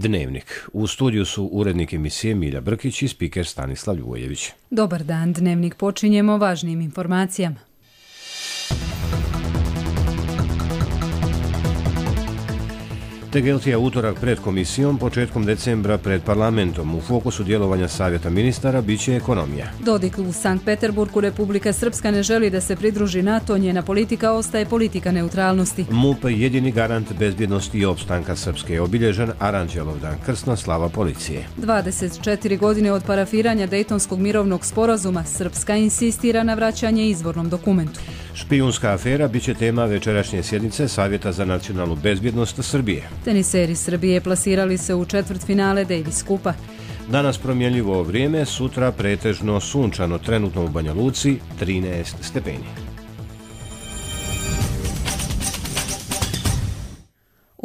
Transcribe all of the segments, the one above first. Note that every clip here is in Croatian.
Dnevnik. U studiju su urednik emisije Milja Brkić i spiker Stanislav Ljubojević. Dobar dan, Dnevnik počinjemo važnim informacijama. Tegeltija utorak pred komisijom, početkom decembra pred parlamentom. U fokusu djelovanja Savjeta ministara biće ekonomija. Dodik u Sankt Peterburgu. Republika Srpska ne želi da se pridruži NATO, njena politika ostaje politika neutralnosti. MUP jedini garant bezbjednosti i opstanka Srpske je obilježen Aranđelov dan, krsna slava policije. 24 godine od parafiranja Dejtonskog mirovnog sporazuma, Srpska insistira na vraćanje izvornom dokumentu. Špijunska afera biće tema večerašnje sjednice Savjeta za nacionalnu bezbjednost Srbije. Teniseri Srbije plasirali se u četvrtfinale Davis Kupa. Danas promjenljivo vrijeme, sutra pretežno sunčano, trenutno u Banja Luci 13 stepeni.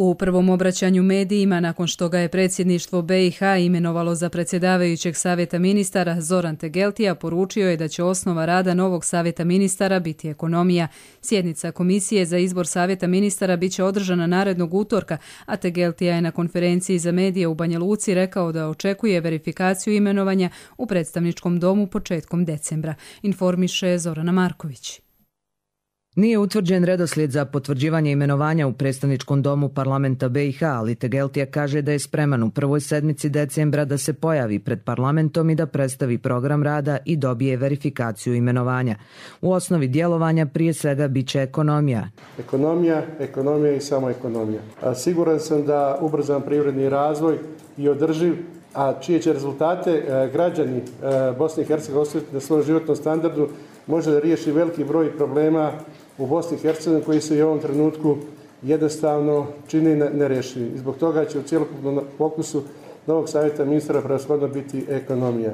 U prvom obraćanju medijima, nakon što ga je predsjedništvo BiH imenovalo za predsjedavajućeg savjeta ministara, Zoran Tegeltija poručio je da će osnova rada novog savjeta ministara biti ekonomija. Sjednica komisije za izbor savjeta ministara biće održana narednog utorka, a Tegeltija je na konferenciji za medije u Banja Luci rekao da očekuje verifikaciju imenovanja u predstavničkom domu početkom decembra, informiše Zorana Marković. Nije utvrđen redoslijed za potvrđivanje imenovanja u predstavničkom domu parlamenta BiH, ali Tegeltija kaže da je spreman u prvoj sedmici decembra da se pojavi pred parlamentom i da predstavi program rada i dobije verifikaciju imenovanja. U osnovi djelovanja prije svega biće ekonomija. Ekonomija i samo ekonomija. Siguran sam da ubrzan privredni razvoj i održiv, a čije će rezultate građani Bosne i Hercegovine osjetiti na svom životnom standardu, može da riješi veliki broj problema u Bosni i Hercegovini koji se i u ovom trenutku jednostavno čini nerješivi. Zbog toga će u cjelokupnom fokusu novog savjeta ministara prevashodno biti ekonomija.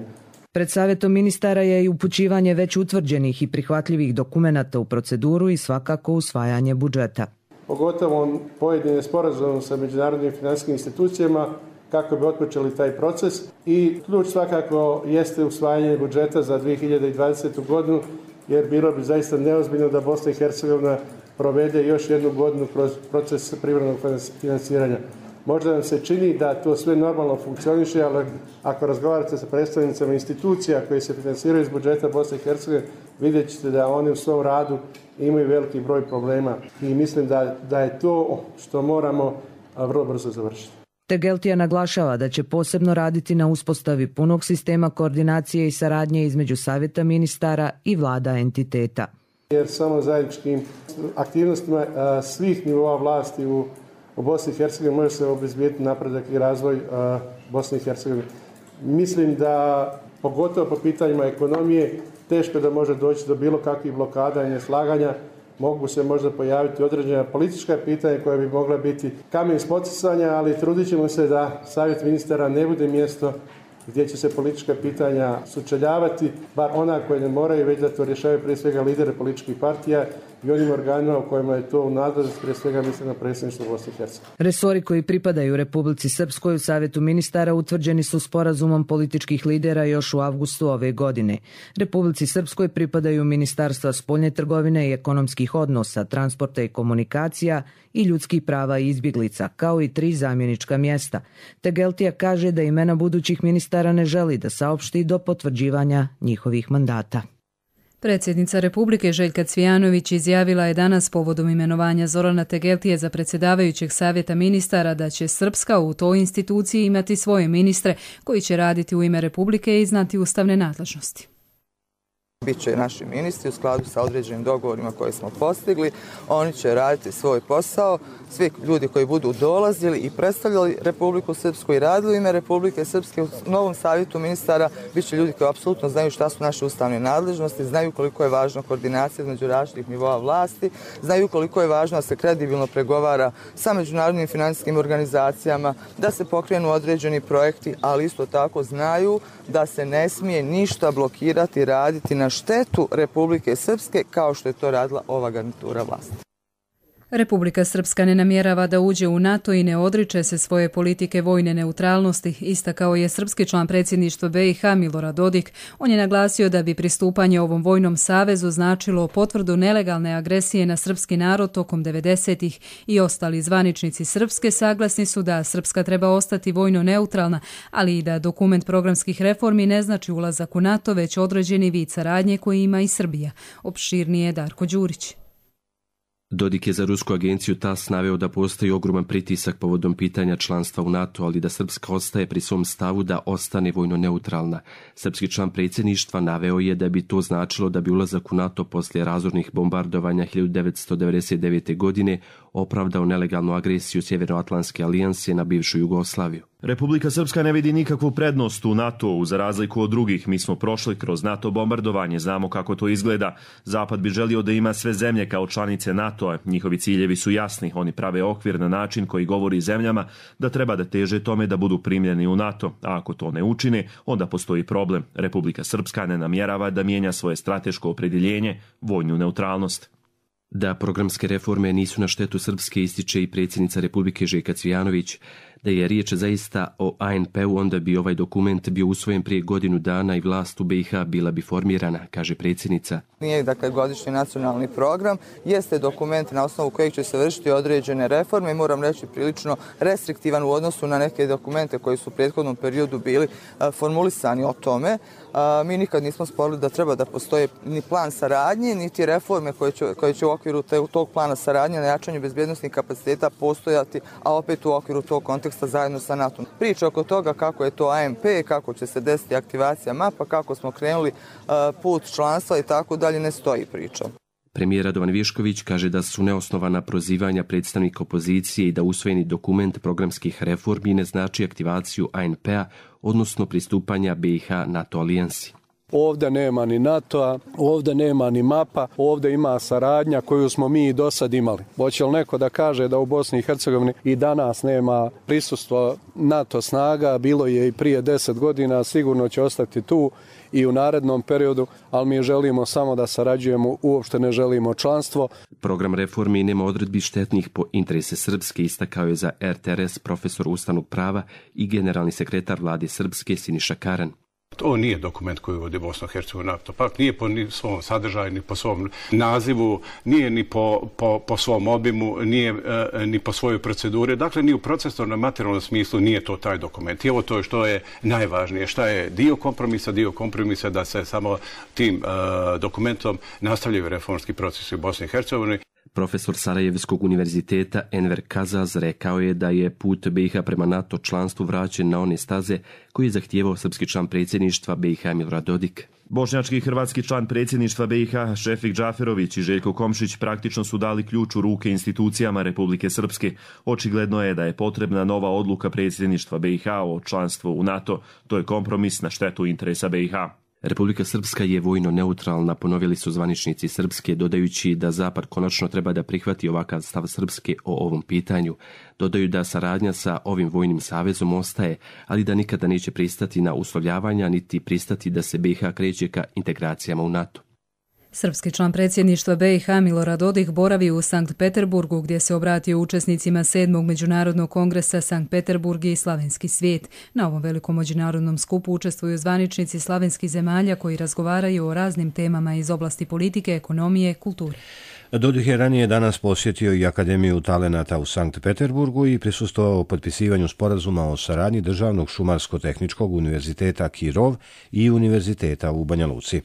Pred savjetom ministara je i upućivanje već utvrđenih i prihvatljivih dokumenata u proceduru i svakako usvajanje budžeta. Pogotovo pojedine sporazume sa međunarodnim financijskim institucijama kako bi otpočeli taj proces i ključ svakako jeste usvajanje budžeta za 2020. godinu, jer bilo bi zaista neozbiljno da Bosna i Hercegovina provede još jednu godinu kroz proces privremenog financiranja. Možda nam se čini da to sve normalno funkcioniše, ali ako razgovarate sa predstavnicama institucija koje se financiraju iz budžeta Bosne i Hercegovine, vidjet ćete da oni u svom radu imaju veliki broj problema i mislim da je to što moramo vrlo brzo završiti. Tegeltija naglašava da će posebno raditi na uspostavi punog sistema koordinacije i saradnje između savjeta ministara i vlada entiteta. Jer samo zajedničkim aktivnostima svih nivoa vlasti u Bosni i Hercegovini može se obezbijediti napredak i razvoj Bosne i Hercegovine. Mislim da pogotovo po pitanjima ekonomije teško da može doći do bilo kakvih blokada i neslaganja. Mogu se možda pojaviti određena politička pitanja koja bi mogla biti kamen spoticanja, ali trudit ćemo se da savjet ministara ne bude mjesto gdje će se politička pitanja sučeljavati, bar ona koje ne moraju, već da to rješavaju prije svega lidere političkih partija i onim organima u kojima je to u nadležnosti, prije svega mislim na predsjedništvo Bosne i Hercegovine. Resori koji pripadaju Republici Srpskoj u savjetu ministara utvrđeni su sporazumom političkih lidera još u avgustu ove godine. Republici Srpskoj pripadaju ministarstva spoljne trgovine i ekonomskih odnosa, transporta i komunikacija i ljudskih prava i izbjeglica, kao i 3 zamjenička mjesta. Tegeltija kaže da imena budućih ministara ne želi da saopšti do potvrđivanja njihovih mandata. Predsjednica Republike Željka Cvijanović izjavila je danas povodom imenovanja Zorana Tegeltije za predsjedavajućeg savjeta ministara da će Srpska u toj instituciji imati svoje ministre koji će raditi u ime Republike i znati ustavne nadležnosti. Biće naši ministri u skladu sa određenim dogovorima koje smo postigli. Oni će raditi svoj posao. Svi ljudi koji budu dolazili i predstavljali Republiku Srpsku i radili u ime Republike Srpske u novom savjetu ministara bit će ljudi koji apsolutno znaju šta su naše ustavne nadležnosti, znaju koliko je važna koordinacija između različitih nivoa vlasti, znaju koliko je važno da se kredibilno pregovara sa međunarodnim financijskim organizacijama, da se pokrenu određeni projekti, ali isto tako znaju da se ne smije ništa blokirati i raditi na štetu Republike Srpske kao što je to radila ova garnitura vlasti. Republika Srpska ne namjerava da uđe u NATO i ne odriče se svoje politike vojne neutralnosti, istakao je srpski član predsjedništva BiH Milorad Dodik. On je naglasio da bi pristupanje ovom vojnom savezu značilo potvrdu nelegalne agresije na srpski narod tokom 90-ih i ostali zvaničnici Srpske saglasni su da Srpska treba ostati vojno neutralna, ali i da dokument programskih reformi ne znači ulazak u NATO, već određeni vid saradnje koji ima i Srbija. Opširnije Darko Đurić. Dodik je za rusku agenciju TASS naveo da postoji ogroman pritisak povodom pitanja članstva u NATO, ali da Srpska ostaje pri svom stavu da ostane vojno neutralna. Srpski član predsjedništva naveo je da bi to značilo da bi ulazak u NATO poslije razornih bombardovanja 1999. godine opravdao nelegalnu agresiju Sjevernoatlantske alijanse na bivšu Jugoslaviju. Republika Srpska ne vidi nikakvu prednost u NATO-u, za razliku od drugih. Mi smo prošli kroz NATO bombardovanje, znamo kako to izgleda. Zapad bi želio da ima sve zemlje kao članice NATO-a. Njihovi ciljevi su jasni, oni prave okvir na način koji govori zemljama da treba da teže tome da budu primljeni u NATO. A ako to ne učine, onda postoji problem. Republika Srpska ne namjerava da mijenja svoje strateško opredjeljenje, vojnu neutralnost. Da programske reforme nisu na štetu Srpske ističe i predsjednica Republike Željka Cvijanović. Da je riječ zaista o ANP-u, onda bi ovaj dokument bio usvojen prije godinu dana i vlast u BiH bila bi formirana, kaže predsjednica. Nije godišnji nacionalni program, jeste dokument na osnovu kojeg će se vršiti određene reforme i moram reći prilično restriktivan u odnosu na neke dokumente koji su u prethodnom periodu bili formulisani o tome. Mi nikad nismo sporili da treba da postoje ni plan saradnje, niti reforme koje će u okviru tog plana saradnje na jačanju bezbjednosnih kapaciteta postojati, a opet u okviru tog konteksta zajedno sa NATO. Priča oko toga kako je to ANP, kako će se desiti aktivacija mapa, kako smo krenuli put članstva i tako dalje, ne stoji priča. Premijer Radovan Višković kaže da su neosnovana prozivanja predstavnika opozicije i da usvojeni dokument programskih reformi ne znači aktivaciju ANP-a, odnosno pristupanja BiH NATO alijansi. Ovdje nema ni NATO-a, ovdje nema ni mapa, ovdje ima saradnja koju smo mi i do sad imali. Hoće li neko da kaže da u Bosni i Hercegovini i danas nema prisustvo NATO snaga, bilo je i prije 10 godina, sigurno će ostati tu i u narednom periodu, ali mi želimo samo da sarađujemo, uopšte ne želimo članstvo. Program reformi nema odredbi štetnih po interese Srpske, istakao je za RTRS profesor ustavnog prava i generalni sekretar vlade Srpske Siniša Karan. To nije dokument koji vodi Bosnu i Hercegovinu NATO pakt, nije po svom sadržaju, ni po svom nazivu, nije ni po svom obimu, nije ni po svojoj proceduri. Dakle, ni u procesnom materijalnom smislu nije to taj dokument. I ovo to je što je najvažnije, šta je dio kompromisa da se samo tim dokumentom nastavljaju reformski procesi u Bosni i Hercegovini. Profesor Sarajevskog univerziteta Enver Kazaz rekao je da je put BiH prema NATO članstvu vraćen na one staze koji je zahtijevao srpski član predsjedništva BiH Milorad Dodik. Bošnjački i hrvatski član predsjedništva BiH Šefik Džaferović i Željko Komšić praktično su dali ključ u ruke institucijama Republike Srpske. Očigledno je da je potrebna nova odluka predsjedništva BiH o članstvu u NATO. To je kompromis na štetu interesa BiH. Republika Srpska je vojno neutralna, ponovili su zvaničnici Srpske, dodajući da Zapad konačno treba da prihvati ovakav stav Srpske o ovom pitanju. Dodaju da saradnja sa ovim vojnim savezom ostaje, ali da nikada neće pristati na uslovljavanja niti pristati da se BiH kreće ka integracijama u NATO. Srpski član predsjedništva BiH Milorad Dodik boravi u Sankt Peterburgu gdje se obratio učesnicima 7. Međunarodnog kongresa Sankt Peterburg i Slavenski svijet. Na ovom velikom međunarodnom skupu učestvuju zvaničnici slavenskih zemalja koji razgovaraju o raznim temama iz oblasti politike, ekonomije, kulture. Dodik je ranije danas posjetio i Akademiju talenata u Sankt Peterburgu i prisustvovao potpisivanju sporazuma o saradnji Državnog šumarsko-tehničkog univerziteta Kirov i univerziteta u Banja Luci.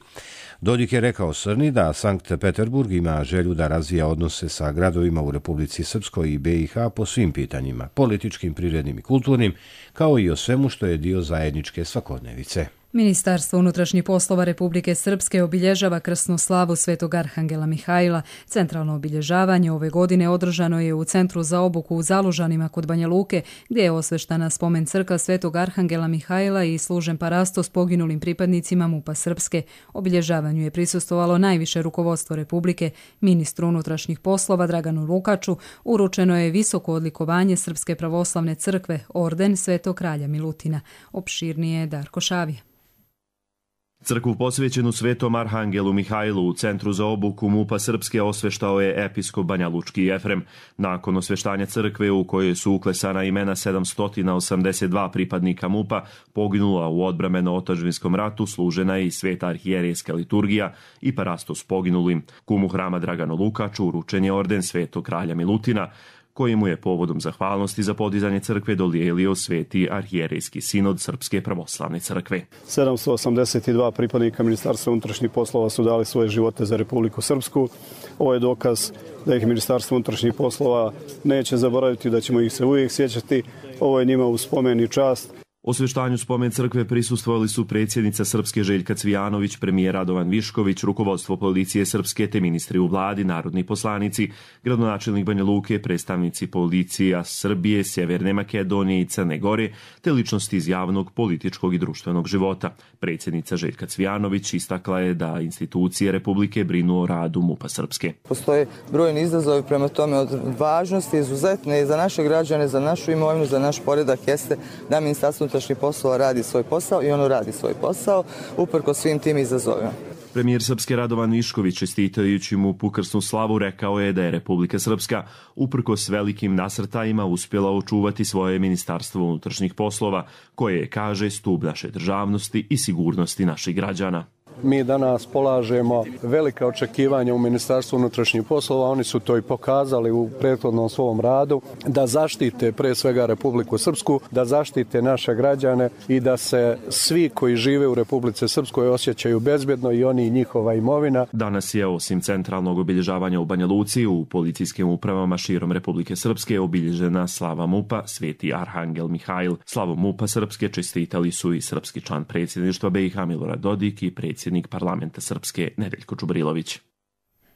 Dodik je rekao Srni da Sankt Peterburg ima želju da razvija odnose sa gradovima u Republici Srpskoj i BiH po svim pitanjima, političkim, prirodnim i kulturnim, kao i o svemu što je dio zajedničke svakodnevice. Ministarstvo unutrašnjih poslova Republike Srpske obilježava krsnu slavu Svetog Arhangela Mihajla. Centralno obilježavanje ove godine održano je u Centru za obuku u Zalužanima kod Banja Luke, gdje je osveštana spomen crkva Svetog Arhangela Mihajla i služen parasto s poginulim pripadnicima MUP-a Srpske. Obilježavanju je prisustvovalo najviše rukovodstvo Republike. Ministru unutrašnjih poslova Draganu Lukaču uručeno je visoko odlikovanje Srpske pravoslavne crkve, orden Svetog kralja Milutina. Opširnije Darko Šavija. Crkvu posvećenu Svetom Arhangelu Mihajlu u Centru za obuku MUP-a Srpske osveštao je episkop Banjalučki Jefrem. Nakon osveštanja crkve u kojoj su uklesana imena 782 pripadnika MUP-a poginula u odbrambeno-otadžbinskom ratu, služena je i sveta arhijerejska liturgija i parastos poginulim. Kumu hrama Draganu Lukaču uručen je orden Svetog kralja Milutina, koji mu je povodom zahvalnosti za podizanje crkve dodijelio Sveti arhijerejski sinod Srpske pravoslavne crkve. 782 pripadnika Ministarstva unutrašnjih poslova su dali svoje živote za Republiku Srpsku. Ovo je dokaz da ih Ministarstvo unutrašnjih poslova neće zaboraviti, da ćemo ih se uvijek sjećati. Ovo je njima u spomen i čast. Osveštanju spomen crkve prisustvovali su predsjednica Srpske Željka Cvijanović, premijer Radovan Višković, rukovodstvo policije Srpske te ministri u vladi, narodni poslanici, gradonačelnik Banja Luke, predstavnici policija Srbije, Sjeverne Makedonije i Crne Gore, te ličnosti iz javnog, političkog i društvenog života. Predsjednica Željka Cvijanović istakla je da institucije Republike brinu o radu MUP-a Srpske. Postoje brojni izazovi, prema tome od važnosti izuzetne i za naše građane, za našu imovinu, za naš poredak jeste da Ministarstvo unutrašnjih poslova radi svoj posao i ono radi svoj posao uprkos svim tim izazovima. Premijer Srpske Radovan Višković, čestitajući MUP-u krsnu slavu, rekao je da je Republika Srpska uprkos velikim nasrtajima uspjela očuvati svoje Ministarstvo unutrašnjih poslova, koje je, kaže, stup naše državnosti i sigurnosti naših građana. Mi danas polažemo velika očekivanja u Ministarstvu unutrašnjih poslova, oni su to i pokazali u prethodnom svom radu, da zaštite pre svega Republiku Srpsku, da zaštite naše građane i da se svi koji žive u Republici Srpskoj osjećaju bezbjedno, i oni i njihova imovina. Danas je osim centralnog obilježavanja u Banja Luci, u policijskim upravama širom Republike Srpske obilježena slava MUP-a Sveti Arhangel Mihajl. Slavom MUP-a Srpske čestitali su i srpski član predsjedništva BiH Milorad Dodik i predsjednik parlamenta Srpske Nedeljko Čubrilović.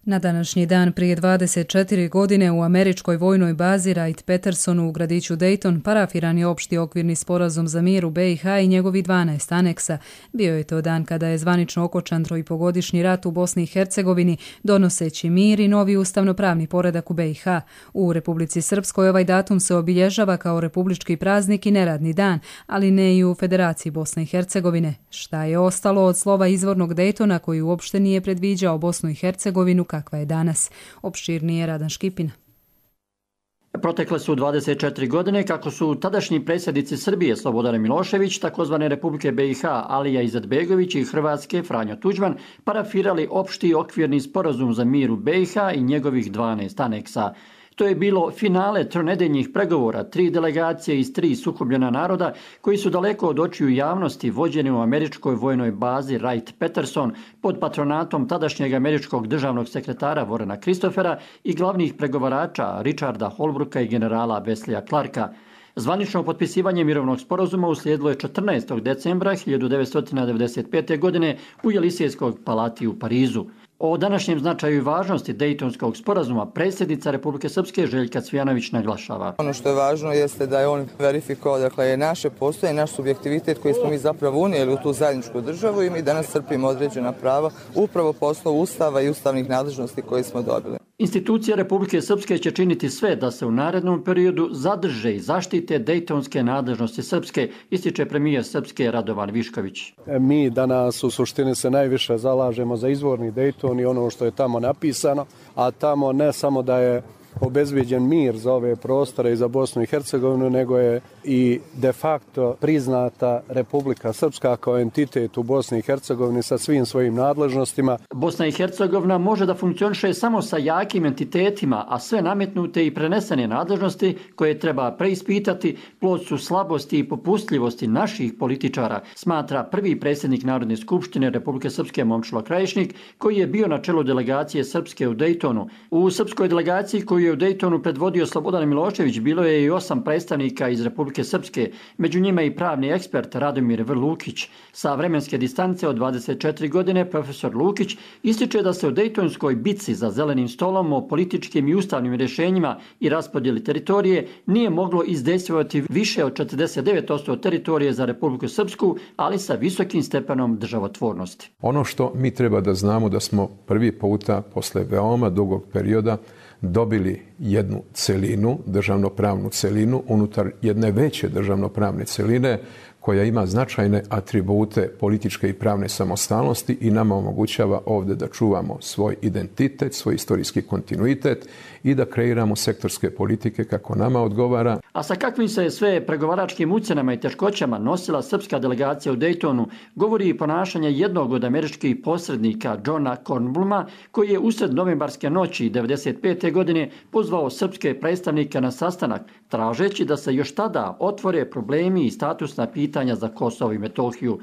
Na današnji dan prije 24 godine u američkoj vojnoj bazi Wright-Pattersonu u gradiću Dayton parafiran je opšti okvirni sporazum za mir u BiH i njegovi 12 aneksa. Bio je to dan kada je zvanično okončan 3,5-godišnji rat u Bosni i Hercegovini, donoseći mir i novi ustavnopravni poredak u BiH. U Republici Srpskoj ovaj datum se obilježava kao republički praznik i neradni dan, ali ne i u Federaciji Bosne i Hercegovine. Šta je ostalo od slova izvornog Daytona koji uopšte nije predviđao Bosnu i Hercegovinu kakva je danas? Opširnije Radan Škipina. Protekle su 24 godine kako su tadašnji predsjednici Srbije Slobodan Milošević, takozvane Republike BiH Alija Izetbegović i Hrvatske Franjo Tuđman parafirali opšti okvirni sporazum za mir u BiH i njegovih 12 aneksa. To je bilo finale tronedeljnih pregovora 3 delegacije iz 3 sukobljena naroda koji su daleko od očiju javnosti vođeni u američkoj vojnoj bazi Wright-Patterson pod patronatom tadašnjeg američkog državnog sekretara Warrena Christophera i glavnih pregovarača Richarda Holbrooka i generala Wesleya Clarka. Zvanično potpisivanje mirovnog sporazuma uslijedilo je 14. decembra 1995. godine u Jelisejskoj palati u Parizu. O današnjem značaju i važnosti Dejtonskog sporazuma predsjednica Republike Srpske Željka Cvijanović naglašava. Ono što je važno jeste da je on verifikovao, dakle, naše postojanje, naš subjektivitet koji smo mi zapravo unijeli u tu zajedničku državu i mi danas crpimo određena prava upravo po osnovu Ustava i ustavnih nadležnosti koje smo dobili. Institucije Republike Srpske će činiti sve da se u narednom periodu zadrže i zaštite dejtonske nadležnosti Srpske, ističe premijer Srpske Radovan Višković. Mi danas u suštini se najviše zalažemo za izvorni Dejton i ono što je tamo napisano, a tamo ne samo da je obezbijeđen mir za ove prostore i za Bosnu i Hercegovinu, nego je i de facto priznata Republika Srpska kao entitet u Bosni i Hercegovini sa svim svojim nadležnostima. Bosna i Hercegovina može da funkcioniše samo sa jakim entitetima, a sve nametnute i prenesene nadležnosti koje treba preispitati plod su slabosti i popustljivosti naših političara, smatra prvi predsjednik Narodne skupštine Republike Srpske Momčilo Krajišnik, koji je bio na čelu delegacije Srpske u Dejtonu. U srpskoj delegaciji koju je u Dejtonu predvodio Slobodan Milošević bilo je i 8 predstavnika iz Republike Srpske, među njima i pravni ekspert Radomir V. Lukić. Sa vremenske distance od 24 godine profesor Lukić ističe da se u Dejtonskoj bitci za zelenim stolom o političkim i ustavnim rješenjima i raspodjeli teritorije nije moglo izdejstvovati više od 49% teritorije za Republiku Srpsku, ali sa visokim stepenom državotvornosti. Ono što mi treba da znamo da smo prvi puta posle veoma dugog perioda dobili jednu celinu, državnopravnu celinu, unutar jedne veće državnopravne celine koja ima značajne atribute političke i pravne samostalnosti i nama omogućava ovdje da čuvamo svoj identitet, svoj istorijski kontinuitet i da kreiramo sektorske politike kako nama odgovara. A sa kakvim se sve pregovaračkim ucjenama i teškoćama nosila srpska delegacija u Daytonu, govori i ponašanje jednog od američkih posrednika, Johna Kornbluma, koji je usred novembarske noći 1995. godine pozvao srpske predstavnike na sastanak, tražeći da se još tada otvore problemi i statusna pitanja za Kosovo i Metohiju.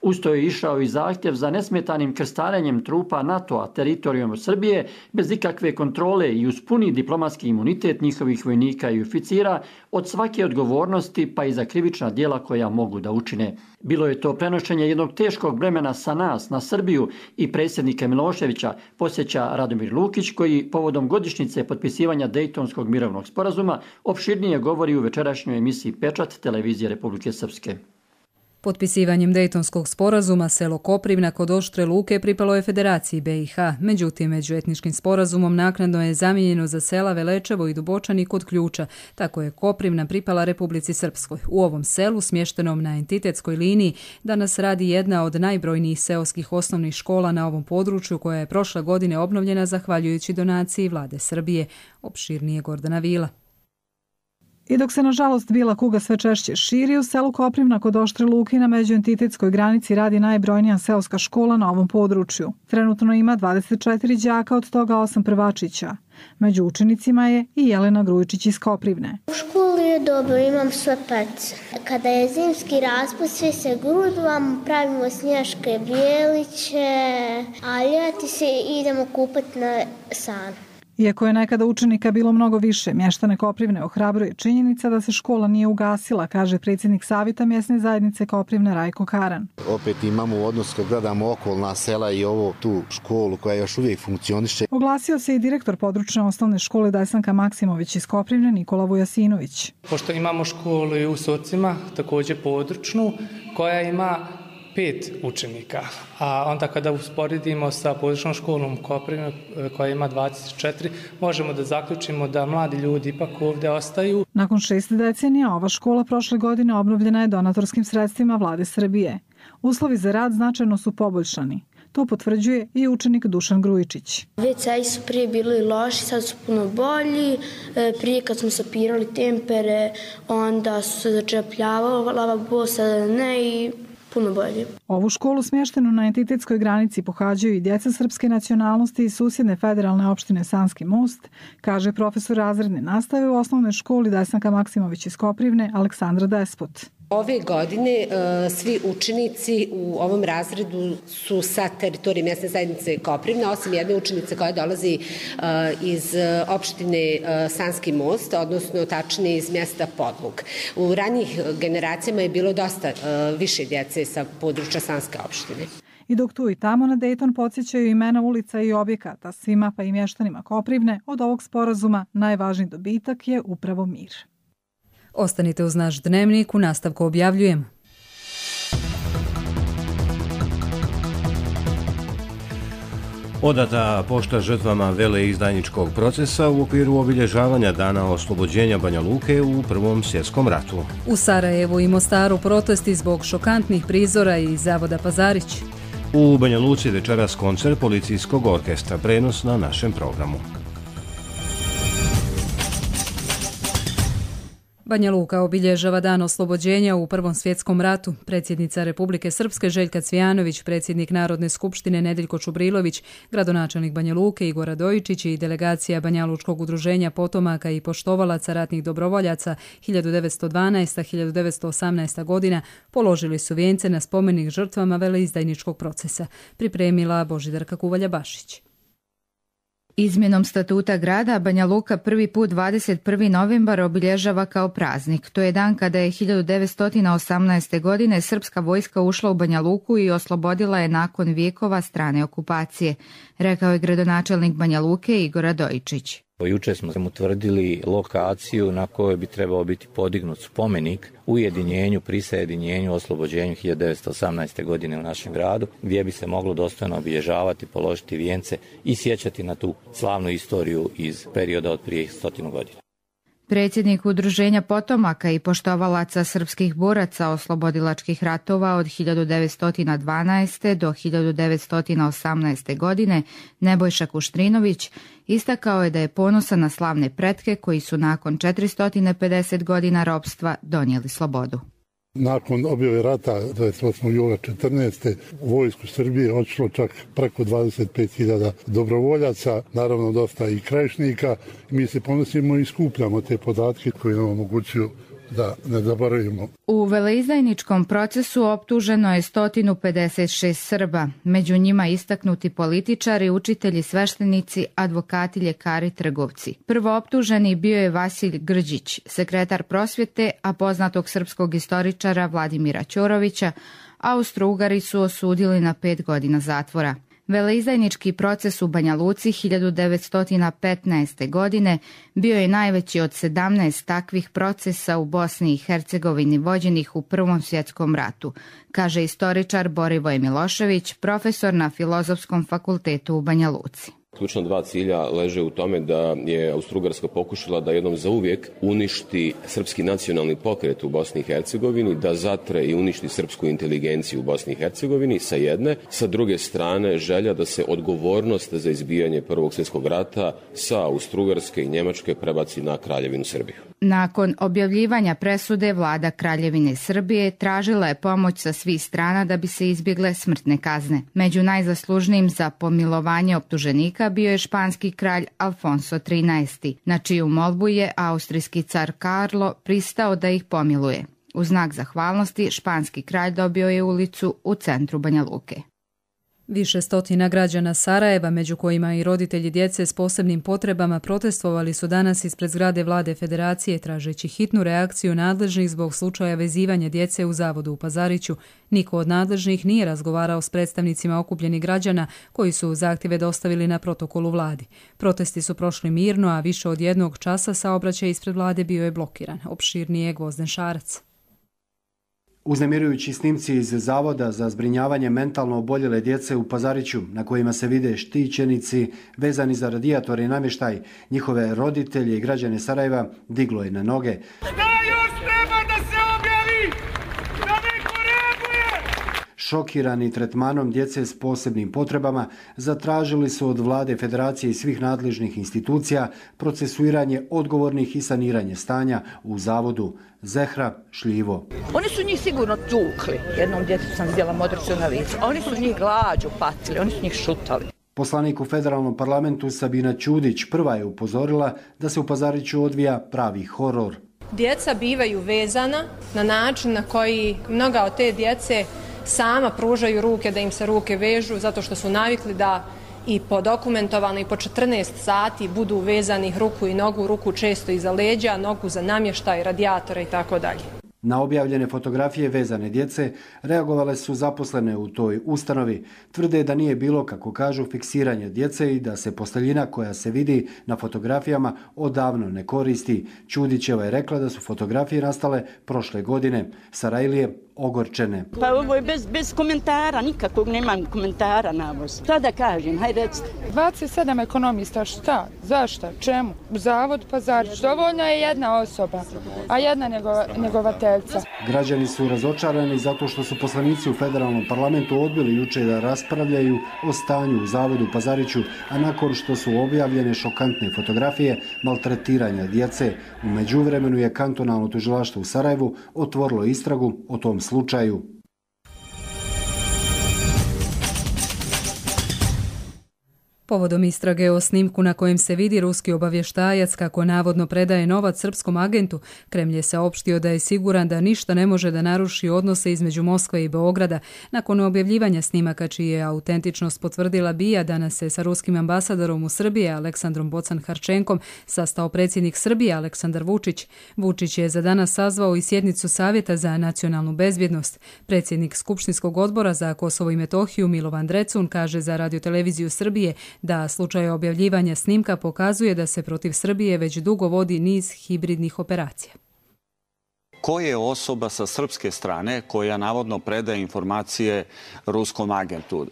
Usto je išao i zahtjev za nesmetanim krstarenjem trupa NATO-a teritorijom Srbije bez ikakve kontrole i uz puni diplomatski imunitet njihovih vojnika i oficira od svake odgovornosti pa i za krivična djela koja mogu da učine. Bilo je to prenošenje jednog teškog bremena sa nas na Srbiju i predsjednika Miloševića, podsjeća Radomir Lukić, koji povodom godišnjice potpisivanja Dejtonskog mirovnog sporazuma opširnije govori u večerašnjoj emisiji Pečat televizije Republike Srpske. Potpisivanjem Dejtonskog sporazuma selo Koprivna kod Oštre Luke pripalo je Federaciji BiH, međutim međuetničkim sporazumom naknadno je zamijenjeno za sela Velečevo i Dubočani kod Ključa, tako je Koprivna pripala Republici Srpskoj. U ovom selu, smještenom na entitetskoj liniji, danas radi jedna od najbrojnijih seoskih osnovnih škola na ovom području, koja je prošle godine obnovljena zahvaljujući donaciji vlade Srbije. Opširnije Gordana Vila. I dok se nažalost bila kuga sve češće širi, u selu Koprivna kod Oštre Luke na međuentitetskoj granici radi najbrojnija seoska škola na ovom području. Trenutno ima 24 đaka, od toga 8 prvačića. Među učenicima je i Jelena Grujičić iz Koprivne. U školi je dobro, imam sve pece. Kada je zimski raspust, svi se grudvamo, pravimo snješke bijeliće, a ljeti se idemo kupati na san. Iako je nekada učenika bilo mnogo više, mještane Koprivne ohrabruje činjenica da se škola nije ugasila, kaže predsjednik Savjeta mjesne zajednice Koprivne Rajko Karan. Opet imamo odnos kad gledamo okolna sela i ovo tu školu koja još uvijek funkcioniše. Oglasio se i direktor područne osnovne škole Desanka Maksimović iz Koprivne Nikola Vujasinović. Pošto imamo školu i u Socima, također područnu, koja ima 5 učenika, a onda kada usporedimo sa područnom školom Koprivne koja ima 24, možemo da zaključimo da mladi ljudi ipak ovdje ostaju. Nakon 6 decenija ova škola prošle godine obnovljena je donatorskim sredstvima vlade Srbije. Uslovi za rad značajno su poboljšani. To potvrđuje i učenik Dušan Grujičić. WC-i su prije bili loši, sad su puno bolji. Prije kad smo sapirali tempere, onda su se začepljavalo, lavabo sada ne i puno bolje. Ovu školu smještenu na entitetskoj granici pohađaju i djeca srpske nacionalnosti iz susjedne federalne opštine Sanski Most, kaže profesor razredne nastave u osnovnoj školi Desanka Maksimović iz Koprivne Aleksandra Despot. Ove godine svi učenici u ovom razredu su sa teritorije mjesne zajednice Koprivna, osim jedne učenice koja dolazi iz opštine Sanski Most, odnosno tačnije iz mjesta Podlug. U ranijih generacijama je bilo dosta više djece sa područja Sanske opštine. I dok tu i tamo na Dayton podsjećaju imena ulica i objekata, svima pa i mještanima Koprivne, od ovog sporazuma najvažniji dobitak je upravo mir. Ostanite uz naš dnevnik, u nastavku objavljujemo. Odata pošta žrtvama veleizdajničkog procesa u okviru obilježavanja dana oslobođenja Banja Luke u Prvom svjetskom ratu. U Sarajevu i Mostaru protesti zbog šokantnih prizora iz zavoda Pazarić. U Banja Luci večeras koncert policijskog orkestra, prenos na našem programu. Banja Luka obilježava dan oslobođenja u Prvom svjetskom ratu. Predsjednica Republike Srpske Željka Cvijanović, predsjednik Narodne skupštine Nedeljko Čubrilović, gradonačelnik Banja Luke Igor Radojičić i delegacija Banjalučkog udruženja potomaka i poštovalaca ratnih dobrovoljaca 1912-1918 godina položili su vijence na spomenik žrtvama veleizdajničkog procesa. Pripremila Božidarka Kuvalja-Bašić. Izmjenom statuta grada Banja Luka prvi put 21. novembar obilježava kao praznik. To je dan kada je 1918. godine srpska vojska ušla u Banja Luku i oslobodila je nakon vijekova strane okupacije, rekao je gradonačelnik Banja Luke Igor Radojičić. Juče smo utvrdili lokaciju na kojoj bi trebao biti podignut spomenik ujedinjenju, prisajedinjenju, oslobođenju 1918. godine u našem gradu, gdje bi se moglo dostojno obilježavati, položiti vijence i sjećati na tu slavnu istoriju iz perioda od prije 100 godina. Predsjednik Udruženja potomaka i poštovalaca srpskih boraca oslobodilačkih ratova od 1912. do 1918. godine, Nebojša Kuštrinović, istakao je da je ponosan na slavne pretke koji su nakon 450 godina ropstva donijeli slobodu. Nakon objave rata 28. jula 14. u vojsku Srbije odšlo čak preko 25.000 dobrovoljaca, naravno dosta i krajišnika. Mi se ponosimo i skupljamo te podatke koji nam omogućuju da ne zaboravimo. U veleizdajničkom procesu optuženo je 156 Srba, među njima istaknuti političari, učitelji, sveštenici, advokati, ljekari, trgovci. Prvo optuženi bio je Vasilj Grđić, sekretar prosvjete, a poznatog srpskog istoričara Vladimira Ćorovića Austro-Ugari su osudili na 5 godina zatvora. Veleizdajnički proces u Banja Luci 1915. godine bio je najveći od 17 takvih procesa u Bosni i Hercegovini vođenih u Prvom svjetskom ratu, kaže istoričar Borivoj Milošević, profesor na Filozofskom fakultetu u Banja Luci. Ključna dva cilja leže u tome da je Austro-Ugarska pokušala da jednom zauvijek uništi srpski nacionalni pokret u Bosni i Hercegovini, da zatre i uništi srpsku inteligenciju u Bosni i Hercegovini sa jedne, sa druge strane želja da se odgovornost za izbijanje Prvog svjetskog rata sa Austro-Ugarske i Njemačke prebaci na Kraljevinu Srbiju. Nakon objavljivanja presude, vlada Kraljevine Srbije tražila je pomoć sa svih strana da bi se izbjegle smrtne kazne. Među najzaslužnijim za pomilovanje optuženika bio je španski kralj Alfonso XIII, na čiju molbu je austrijski car Karlo pristao da ih pomiluje. U znak zahvalnosti španski kralj dobio je ulicu u centru Banja Luke. Više stotina građana Sarajeva, među kojima i roditelji djece s posebnim potrebama, protestovali su danas ispred zgrade Vlade Federacije tražeći hitnu reakciju nadležnih zbog slučaja vezivanja djece u zavodu u Pazariću. Niko od nadležnih nije razgovarao s predstavnicima okupljenih građana koji su zahtjeve dostavili na protokolu vladi. Protesti su prošli mirno, a više od 1 časa saobraćaj ispred vlade bio je blokiran. Opširnije je Gvozden Šarac. Uznemirujući snimci iz Zavoda za zbrinjavanje mentalno oboljele djece u Pazariću, na kojima se vide štićenici vezani za radijatore i namještaj, njihove roditelje i građane Sarajeva diglo je na noge. Šokirani tretmanom djece s posebnim potrebama, zatražili su od Vlade Federacije i svih nadležnih institucija procesuiranje odgovornih i saniranje stanja u zavodu. Zehra Šljivo. Oni su njih sigurno tukli. Jednom djetetu sam vidjela modricu na licu. Oni su njih glađu patili, oni su njih šutali. Poslanik u federalnom parlamentu Sabina Ćudić prva je upozorila da se u Pazariću odvija pravi horor. Djeca bivaju vezana na način na koji mnoga od te djece sama pružaju ruke, da im se ruke vežu zato što su navikli da i po dokumentovano i po 14 sati budu vezanih ruku i nogu, ruku često iza leđa, nogu za namještaj, radijatore i tako dalje. Na objavljene fotografije vezane djece reagovale su zaposlene u toj ustanovi. Tvrde da nije bilo, kako kažu, fiksiranje djece i da se posteljina koja se vidi na fotografijama odavno ne koristi. Ćudićeva je rekla da su fotografije nastale prošle godine. Sarajlije ogorčene. Pa ovo je bez komentara, nikakvog nemam komentara na ovo. Šta da kažem, hajde recite. 27 ekonomista, šta? Zašto? Čemu? Zavod Pazarić. Dovoljno je jedna osoba, a jedna njegovateljca. Građani su razočarani zato što su poslanici u federalnom parlamentu odbili juče da raspravljaju o stanju u zavodu Pazariću, a nakon što su objavljene šokantne fotografije maltretiranja djece. U međuvremenu je kantonalno tužilaštvo u Sarajevu otvorilo istragu o tom slučaju. Povodom istrage o snimku na kojem se vidi ruski obavještajac kako navodno predaje novac srpskom agentu, Kremlj je saopštio da je siguran da ništa ne može da naruši odnose između Moskve i Beograda. Nakon objavljivanja snimaka, čiji je autentičnost potvrdila BIA, danas se sa ruskim ambasadorom u Srbiji Aleksandrom Bocan-Harčenkom sastao predsjednik Srbije Aleksandar Vučić. Vučić je za danas sazvao i sjednicu Savjeta za nacionalnu bezbjednost. Predsjednik Skupštinskog odbora za Kosovo i Metohiju Milovan Drecun kaže za Radioteleviziju Srbije da slučaj objavljivanja snimka pokazuje da se protiv Srbije već dugo vodi niz hibridnih operacija. ko je osoba sa srpske strane koja navodno predaje informacije ruskom agentu.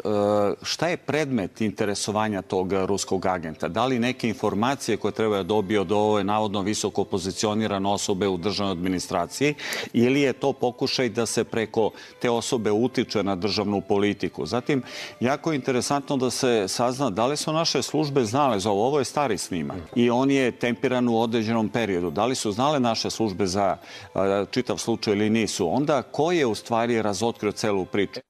Šta je predmet interesovanja tog ruskog agenta? Da li neke informacije koje treba da dobije od ove navodno visoko pozicionirane osobe u državnoj administraciji ili je to pokušaj da se preko te osobe utiče na državnu politiku? Zatim, jako je interesantno da se sazna da li su naše službe znale za ovo. Ovo je stari snimak i on je tempiran u određenom periodu. Da li su znale naše službe za čitav slučaj ili nisu? Onda ko je u stvari razotkrio celu priču?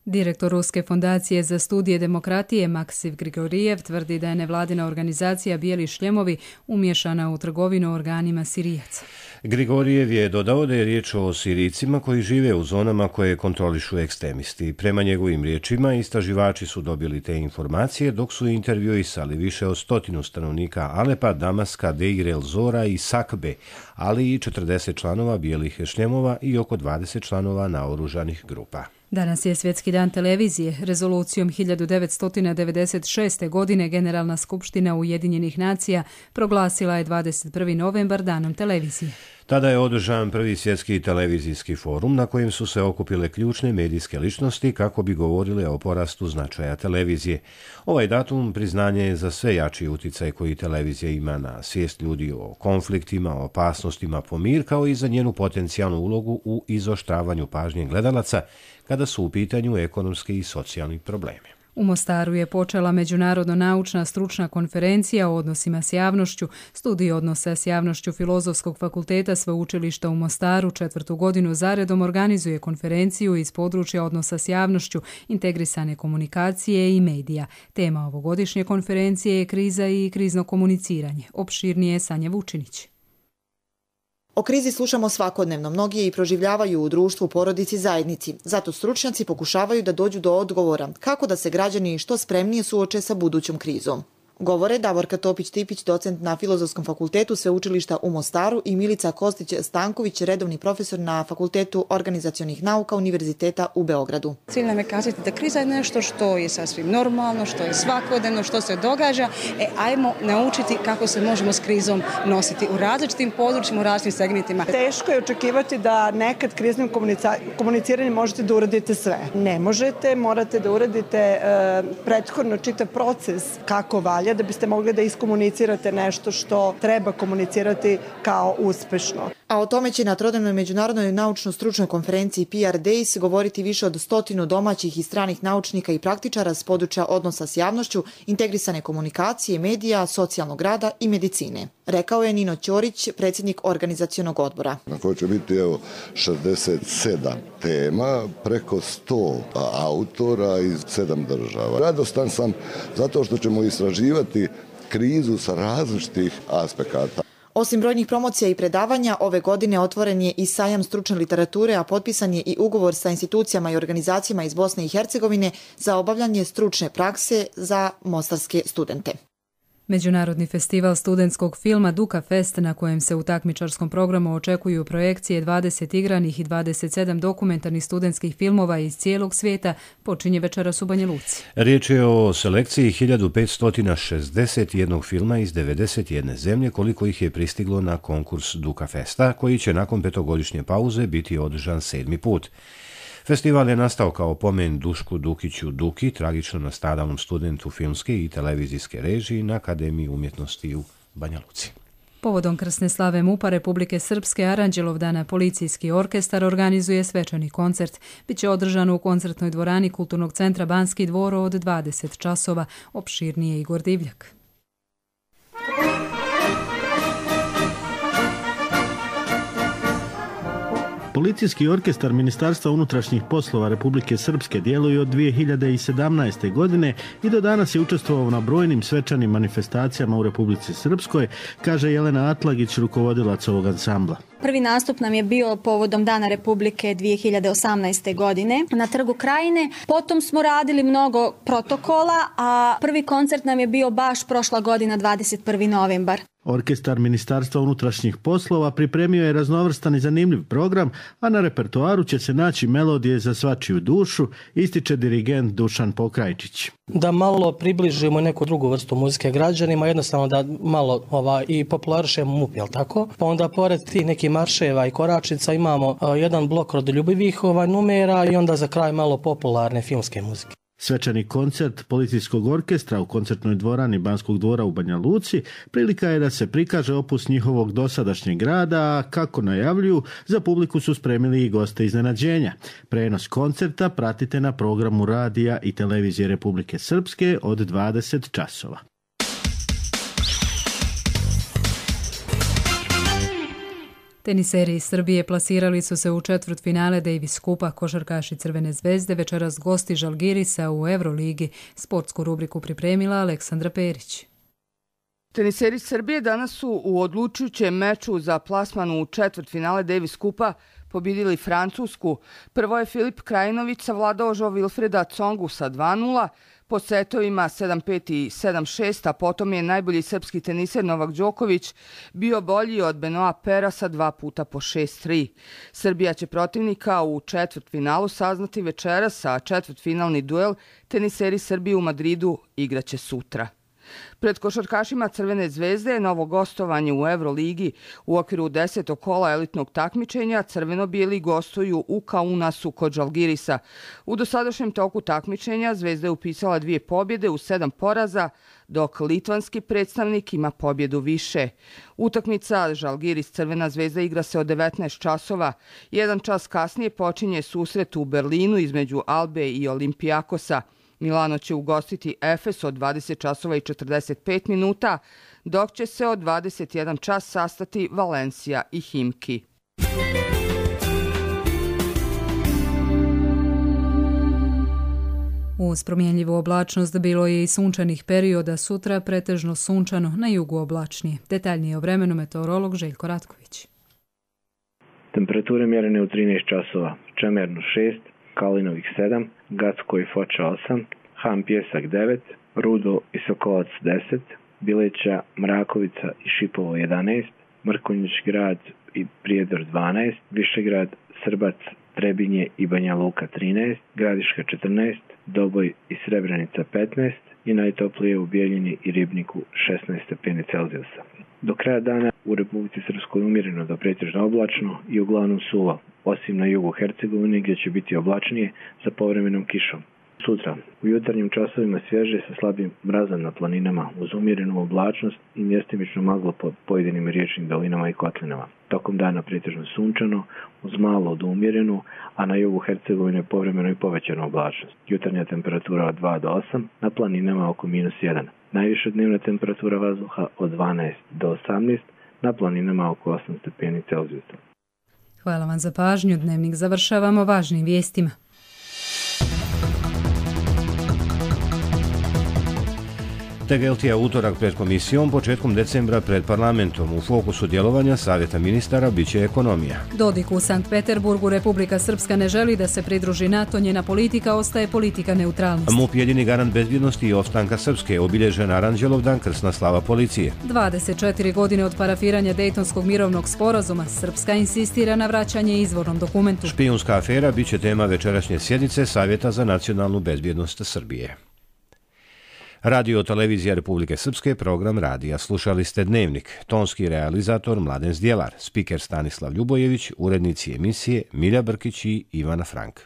Direktor Ruske fondacije za studije demokratije Maksiv Grigorijev tvrdi da je nevladina organizacija Bijeli šljemovi umješana u trgovinu organima Sirijaca. Grigorijev je dodao da je riječ o Sirijcima koji žive u zonama koje kontrolišu ekstremisti. Prema njegovim riječima, istraživači su dobili te informacije dok su intervjuisali više od 100 stanovnika Alepa, Damaska, Deir el-Zora i Sakbe, ali i 40 članova Bijelih šljemova i oko 20 članova naoružanih grupa. Danas je Svjetski dan televizije. Rezolucijom 1996. godine Generalna skupština Ujedinjenih nacija proglasila je 21. novembar danom televizije. Tada je održan prvi svjetski televizijski forum na kojem su se okupile ključne medijske ličnosti kako bi govorile o porastu značaja televizije. Ovaj datum priznanje je za sve jači uticaj koji televizija ima na svijest ljudi o konfliktima, o opasnostima po mir, kao i za njenu potencijalnu ulogu u izoštravanju pažnje gledalaca kada su u pitanju ekonomski i socijalni problemi. U Mostaru je počela međunarodno naučna stručna konferencija o odnosima s javnošću. Studij odnosa s javnošću Filozofskog fakulteta Sveučilišta u Mostaru 4. godinu zaredom organizuje konferenciju iz područja odnosa s javnošću, integrisane komunikacije i medija. Tema ovogodišnje konferencije je kriza i krizno komuniciranje. Opširnije je Sanja Vučinić. O krizi slušamo svakodnevno, mnogi je i proživljavaju u društvu, porodici, zajednici. Zato stručnjaci pokušavaju da dođu do odgovora kako da se građani što spremnije suoče sa budućom krizom. Govore Davorka Topić-Tipić, docent na Filozofskom fakultetu Sveučilišta u Mostaru i Milica Kostić-Stanković, redovni profesor na Fakultetu organizacionih nauka Univerziteta u Beogradu. Cilj nam je kazati da kriza je nešto što je sasvim normalno, što je svakodnevno, što se događa. Ajmo naučiti kako se možemo s krizom nositi u različitim područjima, u različitim segmentima. Teško je očekivati da nekad kriznim komuniciranjem možete da uradite sve. Ne možete, morate da uradite prethodno čitav proces kako valja da biste mogli da iskomunicirate nešto što treba komunicirati kao uspešno. A o tome će na trodnevnoj međunarodnoj naučno-stručnoj konferenciji PR Days govoriti više od 100 domaćih i stranih naučnika i praktičara s područja odnosa s javnošću, integrisane komunikacije, medija, socijalnog rada i medicine. Rekao je Nino Ćorić, predsjednik organizacionog odbora. Na kojoj će biti 67 tema, preko 100 autora iz 7 država. Radostan sam zato što ćemo istraživati krizu sa različitih aspekata. Osim brojnih promocija i predavanja, ove godine otvoren je i sajam stručne literature, a potpisan je i ugovor sa institucijama i organizacijama iz Bosne i Hercegovine za obavljanje stručne prakse za mostarske studente. Međunarodni festival studentskog filma Duka Fest, na kojem se u takmičarskom programu očekuju projekcije 20 igranih i 27 dokumentarnih studentskih filmova iz cijelog svijeta, počinje večeras u Banja Luci. Riječ je o selekciji 1561 filma iz 91 zemlje, koliko ih je pristiglo na konkurs Duka Festa, koji će nakon 5-godišnje pauze biti održan 7. put. Festival je nastao kao pomen Dušku Dukiću Duki, tragično nastradalom studentu filmske i televizijske režije na Akademiji umjetnosti u Banja Luci. Povodom krsne slave MUP-a Republike Srpske Aranđelovdana policijski orkestar organizuje svečani koncert. Biće održan u koncertnoj dvorani Kulturnog centra Banski dvor od 20 časova. Opširnije Igor Divljak. Policijski orkestar Ministarstva unutrašnjih poslova Republike Srpske djeluje od 2017. godine i do danas je učestvovao na brojnim svečanim manifestacijama u Republici Srpskoj, kaže Jelena Atlagić, rukovodilac ovog ansambla. Prvi nastup nam je bio povodom Dana Republike 2018. godine na Trgu Krajine. Potom smo radili mnogo protokola, a prvi koncert nam je bio baš prošla godina 21. novembar. Orkestar Ministarstva unutrašnjih poslova pripremio je raznovrstan i zanimljiv program, a na repertoaru će se naći melodije za svačiju dušu, ističe dirigent Dušan Pokrajčić. Da malo približimo neku drugu vrstu muzike građanima, jednostavno da malo i popularišemo MUP, jel tako? Pa onda pored tih nekih patriotskih marševa i koračnica, imamo jedan blok rodoljubivih numera i onda za kraj malo popularne filmske muzike. Svečani koncert policijskog orkestra u koncertnoj dvorani Banskog dvora u Banja Luci prilika je da se prikaže opus njihovog dosadašnjeg rada, a kako najavljuju, za publiku su spremili i goste iznenađenja. Prenos koncerta pratite na programu radija i televizije Republike Srpske od 20 časova. Teniseri iz Srbije plasirali su se u četvrtfinale Davis Kupa. Košarkaši Crvene zvezde večeras gosti Žalgirisa u Euroligi. Sportsku rubriku pripremila Aleksandra Perić. Teniseri Srbije danas su u odlučujućem meču za plasman u četvrtfinale Davis Kupa pobjedili Francusku. Prvo je Filip Krajinović savladao Jo Wilfreda Tsongu sa 2:0, po setovima 7-5 i 7-6, a potom je najbolji srpski teniser Novak Đoković bio bolji od Benoa Pera sa 2 puta po 6-3. Srbija će protivnika u četvrtfinalu saznati večeras, a četvrtfinalni duel teniseri Srbije u Madridu igraće sutra. Pred košarkašima Crvene zvezde je novo gostovanje u Euroligi. U okviru 10. kola elitnog takmičenja crveno-bijeli gostuju u Kaunasu kod Žalgirisa. U dosadašnjem toku takmičenja Zvezda je upisala 2 pobjede u 7 poraza, dok litvanski predstavnik ima pobjedu više. Utakmica Žalgiris Crvena zvezda igra se od 19 časova. 1 čas kasnije počinje susret u Berlinu između Albe i Olimpijakosa. Milano će ugostiti Efes od 20 časova i 45 minuta, dok će se od 21 čas sastati Valencija i Himki. Uz promjenljivu oblačnost bilo je i sunčanih perioda, sutra pretežno sunčano, na jugu oblačnije. Detaljnije o vremenu meteorolog Željko Ratković. Temperature mjerene u 13 časova, Čemernu 6, Kalinovih 7, Gacko i Foča 8, Han Pjesak 9, Rudo i Sokolac 10, Bileća, Mrakovica i Šipovo 11, Mrkonjić grad i Prijedor 12, Višegrad, Srbac, Trebinje i Banja Luka 13, Gradiška 14, Doboj i Srebrenica 15 i najtoplije u Bijeljini i Ribniku 16 stepeni Celzijusa. Do kraja dana u Republici Srpskoj umjereno do pretežno oblačno i uglavnom suvo, osim na jugu Hercegovine gdje će biti oblačnije sa povremenom kišom. Sutra, u jutarnjim časovima svježe sa slabim mrazom na planinama uz umjerenu oblačnost i mjestimično maglo po pojedinim riječnim dolinama i kotlinama. Tokom dana pretežno sunčano, uz malo do umjerenu, a na jugu Hercegovine povremeno i povećanu oblačnost. Jutarnja temperatura od 2 do 8, na planinama oko -1. Najviša dnevna temperatura vazduha od 12 do 18, na planinama oko 8 stepeni Celzijusa. Hvala vam za pažnju. Dnevnik završavamo važnim vijestima. Tegeltija utorak pred komisijom, početkom decembra pred parlamentom. U fokusu djelovanja Savjeta ministara biće ekonomija. Dodik u Sankt Peterburgu. Republika Srpska ne želi da se pridruži NATO, njena politika ostaje politika neutralnosti. MUP jedini garant bezbjednosti i opstanka Srpske, obilježen Aranđelovdan, krsna slava policije. 24 godine od parafiranja Dejtonskog mirovnog sporazuma, Srpska insistira na vraćanje izvornom dokumentu. Špijunska afera biće tema večerašnje sjednice Savjeta za nacionalnu bezbjednost Srbije. Radio televizija Republike Srpske, program radija. Slušali ste Dnevnik. Tonski realizator Mladen Zdjelar, spiker Stanislav Ljubojević, urednici emisije Milja Brkić i Ivana Frank.